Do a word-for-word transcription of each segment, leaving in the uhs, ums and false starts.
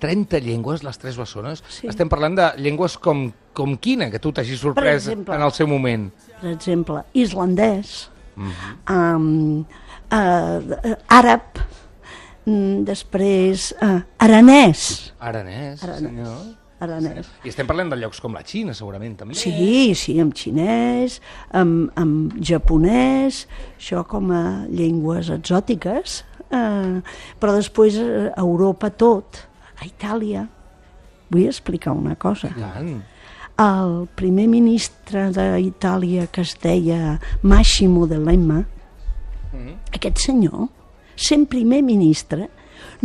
trenta llengües, les tres bessones. Sí. Estem parlant de llengües com, com quina, que tu t'hagis sorprès exemple, en el seu moment. Per exemple, islandès, Mm-hmm. um, uh, àrab, mm, després uh, aranès. Aranès, Aranès. senyor. Aranès. I estem parlant de llocs com la Xina, segurament, també. Sí, sí, amb xinès, amb, amb japonès, això com a llengües exòtiques, eh, però després a Europa tot, a Itàlia. Vull explicar una cosa. I tant. El primer ministre d'Itàlia, que es deia Massimo D'Alema, Mm-hmm. aquest senyor, sent primer ministre,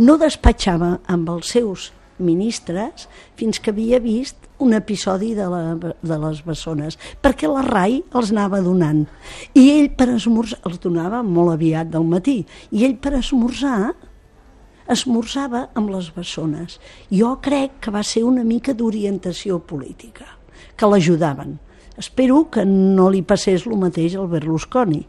no despatxava amb els seus ministres fins que havia vist un episodi de, la, de les bessones, perquè la R A I els anava donant. I ell per esmorzar, els donava molt aviat del matí, i ell per esmorzar esmorzava amb les bessones. Jo crec que va ser una mica d'orientació política, que l'ajudaven. Espero que no li passés el mateix al Berlusconi,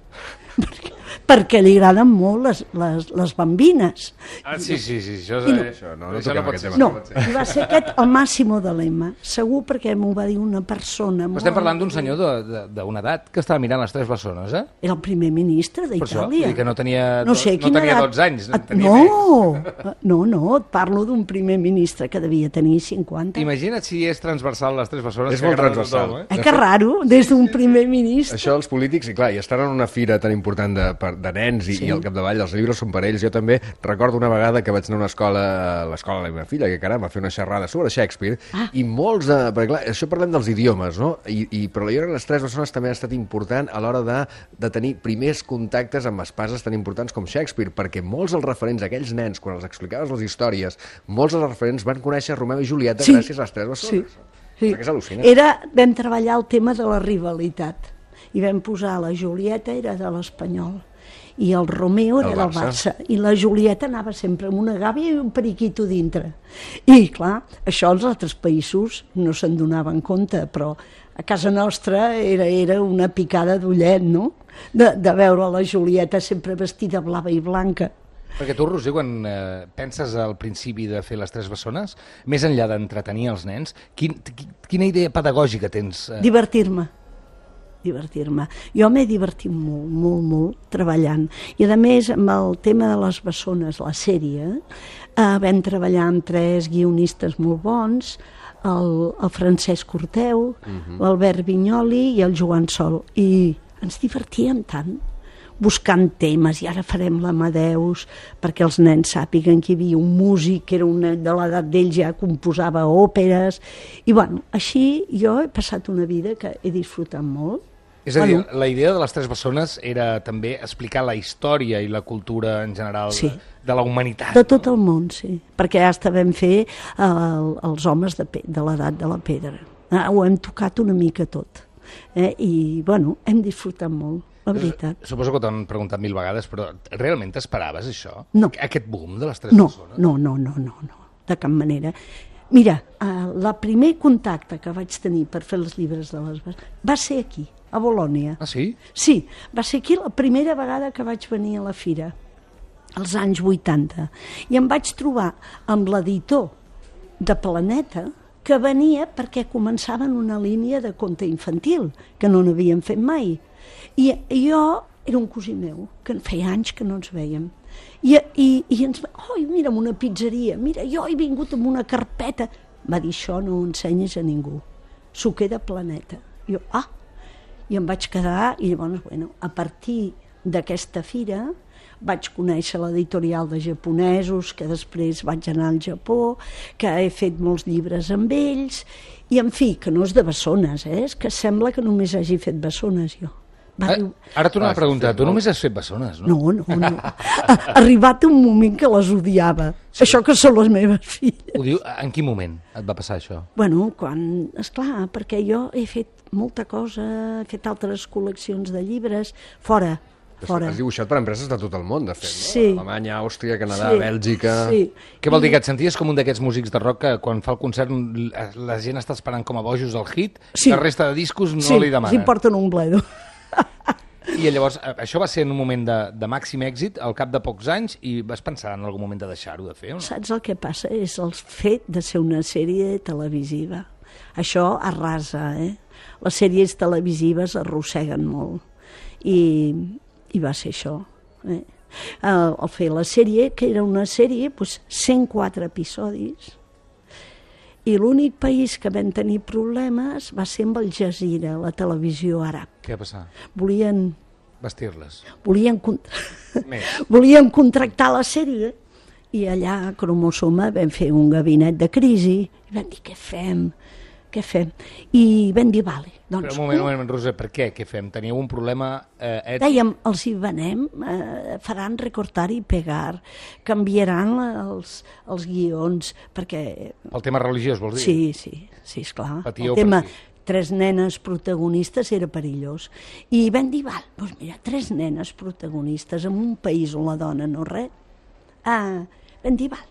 perquè, perquè li agraden molt les, les, les bambines. Ah, sí, sí, sí, això, I no- és, Això, no, no això toquem pot aquest ser. tema. No, i va ser aquest el Massimo D'Alema, segur, perquè m'ho va dir una persona Però molt... estem parlant d'un senyor de- de- d'una edat que estava mirant les tres bessones, eh? Era el primer ministre Per això, vull d'Itàlia. dir que no tenia, No sé, no quina tenia edat- dotze anys. Et- Tenia més. No, no, no, et parlo d'un primer ministre que devia tenir cinquanta. Imagina't si és transversal les tres bessones. És que molt agraden a transversal. tothom, eh? Eh, que raro, des d'un primer ministre. Això els polítics, i clar, i estan en una fira tan important de, per- de nens i, Sí. i al capdavall els llibres són per ells. Jo també recordo una vegada que vaig anar a una escola, a l'escola de la meva filla, que caram, va fer una xerrada sobre Shakespeare, Ah. i molts de... Perquè clar, això parlem dels idiomes, no? I, i, però jo crec que les tres bessones també ha estat important a l'hora de, de tenir primers contactes amb espases tan importants com Shakespeare, perquè molts dels referents, aquells nens, quan els explicaves les històries, molts dels referents van conèixer Romeu i Julieta Sí. gràcies a les tres bessones. Sí. Sí. Perquè és al·lucinant. Era, vam treballar el tema de la rivalitat i vam posar la Julieta era de l'Espanyol i el Romeo era El del Barça. Barça i la Julieta anava sempre amb una gàbia i un periquito dintre. I clar, això als altres països no se'n donaven compte, però a casa nostra era, era una picada d'ullet, no? De, de veure la Julieta sempre vestida blava i blanca. Perquè tu, Roser, quan eh, penses al principi de fer les tres bessones, més enllà d'entretenir els nens, quin, qui- quina idea pedagògica tens? Eh? Divertir-me. Divertir-me. Jo m'he divertit molt, molt, molt treballant. I a més, amb el tema de les bessones, la sèrie, eh, vam treballar amb tres guionistes molt bons, el, el Francesc Corteu, l'Albert Vinyoli i el Joan Sol. I ens divertíem tant buscant temes, i ara farem l'Amadeus perquè els nens sàpiguen que hi havia un músic que era una, de l'edat d'ell ja composava òperes, i bueno, així jo he passat una vida que he disfrutat molt. És a dir, Bueno. la idea de les tres bessones era també explicar la història i la cultura en general Sí. de, de la humanitat. De tot el món, sí, perquè hasta vam fer el, els homes de, pe- de l'edat de la pedra. Ah, ho hem tocat una mica tot. Eh? I, bueno, hem disfrutat molt, la veritat. Suposo que t'han preguntat mil vegades, però realment t'esperaves això? No. Aquest boom de les tres No, bessones? no, no, no, no, no, de cap manera. Mira, eh, el primer contacte que vaig tenir per fer els llibres de les bessones va ser aquí, a Bolònia. Ah, sí? Sí, va ser aquí la primera vegada que vaig venir a la fira, als anys vuitanta, i em vaig trobar amb l'editor de Planeta, que venia perquè començaven una línia de conte infantil, que no n'havien fet mai. I, i jo era un cosí meu, que feia anys que no ens vèiem. I, i, i ens va, oi, mira, una pizzeria, mira, jo he vingut amb una carpeta. Va dir, això no ho ensenyes a ningú, s'ho queda Planeta. I jo, ah, i em vaig quedar, i llavors, bueno, a partir d'aquesta fira vaig conèixer l'editorial de japonesos, que després vaig anar al Japó, que he fet molts llibres amb ells, i en fi, que no és de bessones, eh? És que sembla que només hagi fet bessones jo. Va Ah, dir, ara torno Ah, a preguntar, sí, tu molt. només has fet bessones, no? no, no, no. Ha arribat un moment que les odiava. Sí. Això que són les meves filles. Ho diu, en quin moment et va passar això? Bueno, quan, esclar, perquè jo he fet molta cosa, he fet altres col·leccions de llibres, fora, fora. Has dibuixat per empreses de tot el món, de fet, no? Sí. Alemanya, Àustria, Canadà, Sí, Bèlgica... Sí. Què vol dir, que et senties com un d'aquests músics de rock que quan fa el concert la gent està esperant com a bojos el hit, Sí. la resta de discos no sí, li demanen? sí, porten un bledo. I llavors, això va ser en un moment de, de màxim èxit, al cap de pocs anys, i vas pensar en algun moment de deixar-ho de fer? O no? Saps el que passa? És el fet de ser una sèrie televisiva. Això arrasa, eh? Les sèries televisives arrosseguen molt. I, i va ser això. Eh? Al, al fer la sèrie, que era una sèrie, doncs, cent quatre episodis, i l'únic país que vam tenir problemes va ser amb el Jazeera, la televisió àrab. Què va passar? Volien... Vestir-les. Volien, con... volien contractar la sèrie i allà a Cromosoma vam fer un gabinet de crisi i vam dir, què fem? Què fem? I vam dir, vale. Doncs, Però un moment, un moment, Roser, per què? Què fem? Teníeu un problema eh, ètic? Dèiem, els hi venem, eh, faran recortar i pegar, canviaran els, els guions, perquè... El tema religiós, vols dir? Sí, sí, sí, esclar. Patíeu el tema, per aquí. Tres nenes protagonistes era perillós. I vam dir, val, doncs mira, tres nenes protagonistes en un país on la dona no res. Ah, vam dir, val,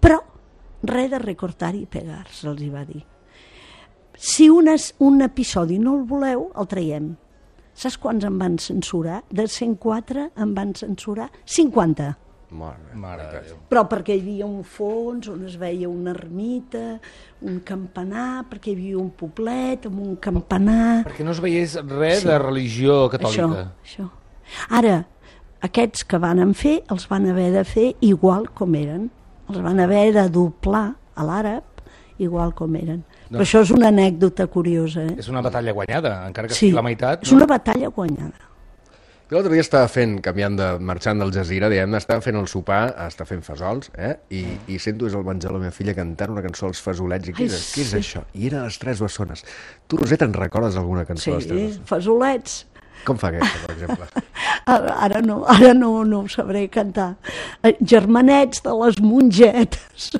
però res de recortar i pegar, se'ls hi va dir. Si un, es, un episodi no el voleu, el traiem. Saps quants en van censurar? De cent quatre en van censurar cinquanta. Mare, Mare de Déu. Però perquè hi havia un fons on es veia una ermita, un campanar, perquè hi havia un poblet amb un campanar... Perquè no es veiés res Sí. de religió catòlica. Això, això. Ara, aquests que van fer, els van haver de fer igual com eren. Els van haver de doblar a l'àrab igual com eren. Però això és una anècdota curiosa, eh? És una batalla guanyada, encara que Sí, sigui la meitat. és una batalla guanyada. Jo l'altre dia estava fent, canviant de, marxant del Jazeera, diguem-ne, estava fent el sopar, estava fent fesols, eh? I, i sento des del menjar la meva filla cantant una cançó als fesolets. I què, Ai, és, què és sí. això? I era les Tres Bessones. Tu, Roser, te'n recordes alguna cançó Sí, de les Tres Bessones? fesolets. Com fa aquesta, per exemple? Ara, ara, no, ara no, no ho sabré cantar. Eh, Germanets de les mongetes.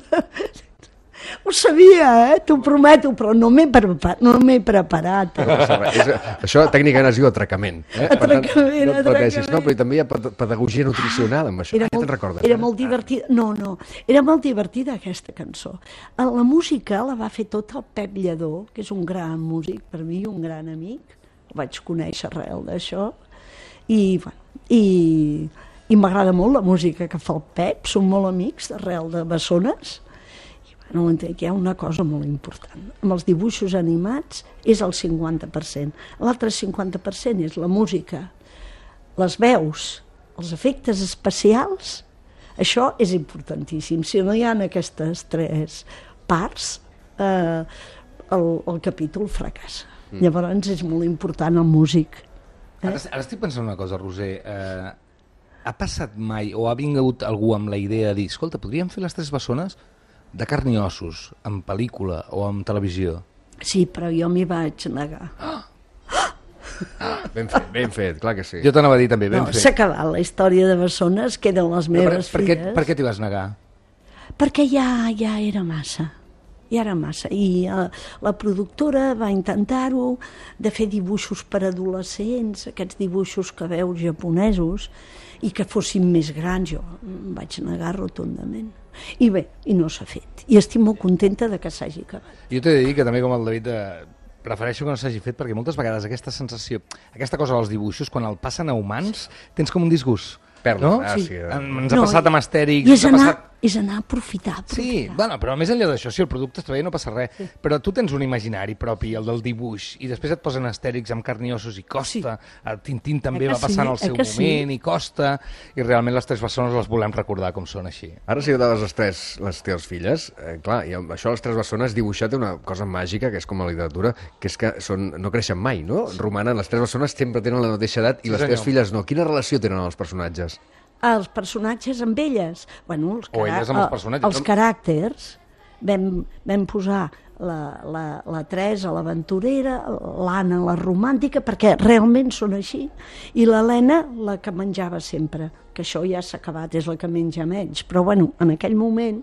Ho sabia, eh? T'ho prometo, però no m'he preparat. No m'he preparat eh? és, això tècnicament es diu atracament. Eh? Per tant, Atracament, no et pateixis. atracament. No, però també hi ha ped- pedagogia nutricional amb això. Era Ah, ja molt, te'n recordes? era eh? molt divertida. No, no, era molt divertida aquesta cançó. Eh, La música la va fer tot el Pep Lledó, que és un gran músic, per mi un gran amic. El vaig conèixer arrel d'això. I, bueno, i, i m'agrada molt la música que fa el Pep, som molt amics d'arrel de Bessones. I bueno, entenc que hi ha una cosa molt important. Amb els dibuixos animats és el cinquanta per cent. L'altre cinquanta per cent és la música, les veus, els efectes especials. Això és importantíssim. Si no hi ha aquestes tres parts, eh, el, el capítol fracassa. Mm. Llavors és molt important el músic. Eh? Ara, ara estic pensant una cosa, Roser. Eh, ha passat mai, o ha vingut algú amb la idea de dir, escolta, podríem fer les Tres Bessones de carn i ossos, en pel·lícula o en televisió? Sí, però jo m'hi vaig negar. Ah, ben fet, ben fet, clar que sí. Jo t'anava a dir també, ben No, fet. s'ha acabat la història de Bessones, queden les Però meves per, per, què, filles. per què t'hi vas negar? Perquè ja, ja era massa. Ja era massa. I uh, la productora va intentar-ho, de fer dibuixos per adolescents, aquests dibuixos que veus japonesos, i que fossin més grans. Jo em vaig negar rotundament. I bé, i no s'ha fet. I estic molt contenta de que s'hagi acabat. Jo t'he de dir que també, com el David, eh, prefereixo que no s'hagi fet, perquè moltes vegades aquesta sensació, aquesta cosa dels dibuixos, quan el passen a humans, tens com un disgust. Perla, no? ah, Sí. sí. En- Ens ha No, passat amb Astèrix. I és ens ha anar, passat... és anar a aprofitar, Sí, aprofitar. bueno, però més enllà d'això, si el producte està bé no passa res, sí. Però tu tens un imaginari propi, el del dibuix, i després et posen Astèrix amb carn i ossos i costa, sí. El Tintín també Eh que va passant sí, al seu eh que sí? moment i costa, i realment les Tres Bessones les volem recordar com són així. Ara si agradades les tres, les teves filles, eh, clar, i amb això les Tres Bessones dibuixat té una cosa màgica, que és com a literatura, que és que són, no creixen mai, no? Sí. Romanen, les Tres Bessones sempre tenen la mateixa edat i Sí, les senyor. teves filles no. Quina relació tenen amb els personatges? Els personatges amb elles, bueno, els, O elles amb els personatges. els caràcters, vam, vam posar la, la, la Teresa, l'aventurera, l'Anna, la romàntica, perquè realment són així, i l'Helena, la que menjava sempre, que això ja s'ha acabat, és la que menja menys, però bueno, en aquell moment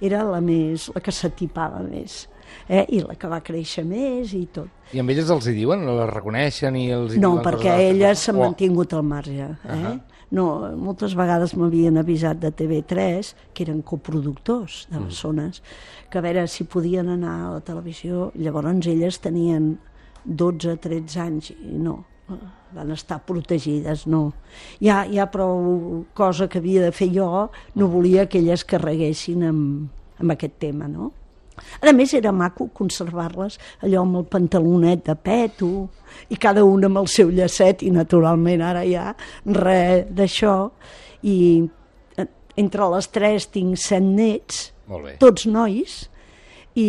era la, més, la que s'atipava més, eh? I la que va créixer més i tot. I amb elles els hi diuen, les reconeixen i els hi No, diuen perquè coses de les- elles s'han Oh. mantingut al marge. Eh? Ahà. No, moltes vegades m'havien avisat de T V tres, que eren coproductors de Bessones, que a veure si podien anar a la televisió. Llavors elles tenien dotze tretze anys i no. van estar protegides, no. Ja, ja prou cosa que havia de fer jo, no volia que elles carreguessin amb, amb aquest tema, no? A més, era maco conservar-les allò amb el pantalonet de peto i cada una amb el seu llacet, i naturalment ara ja res d'això. I entre les tres tinc set nets, tots nois, i,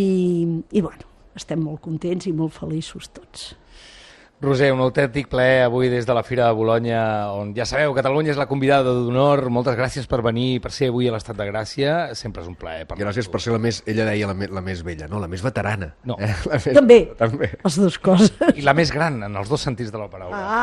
i bueno, estem molt contents i molt feliços tots. Roser, un autèntic plaer avui des de la Fira de Bolonya, on ja sabeu, Catalunya és la convidada d'honor. Moltes gràcies per venir, per ser avui a l'Estat de Gràcia. Sempre és un plaer. Gràcies per ser la més, ella deia la, me, la més vella, no, la més veterana. No. Eh? La més, també, també, les dues coses. I la més gran, en els dos sentits de la paraula. Ah.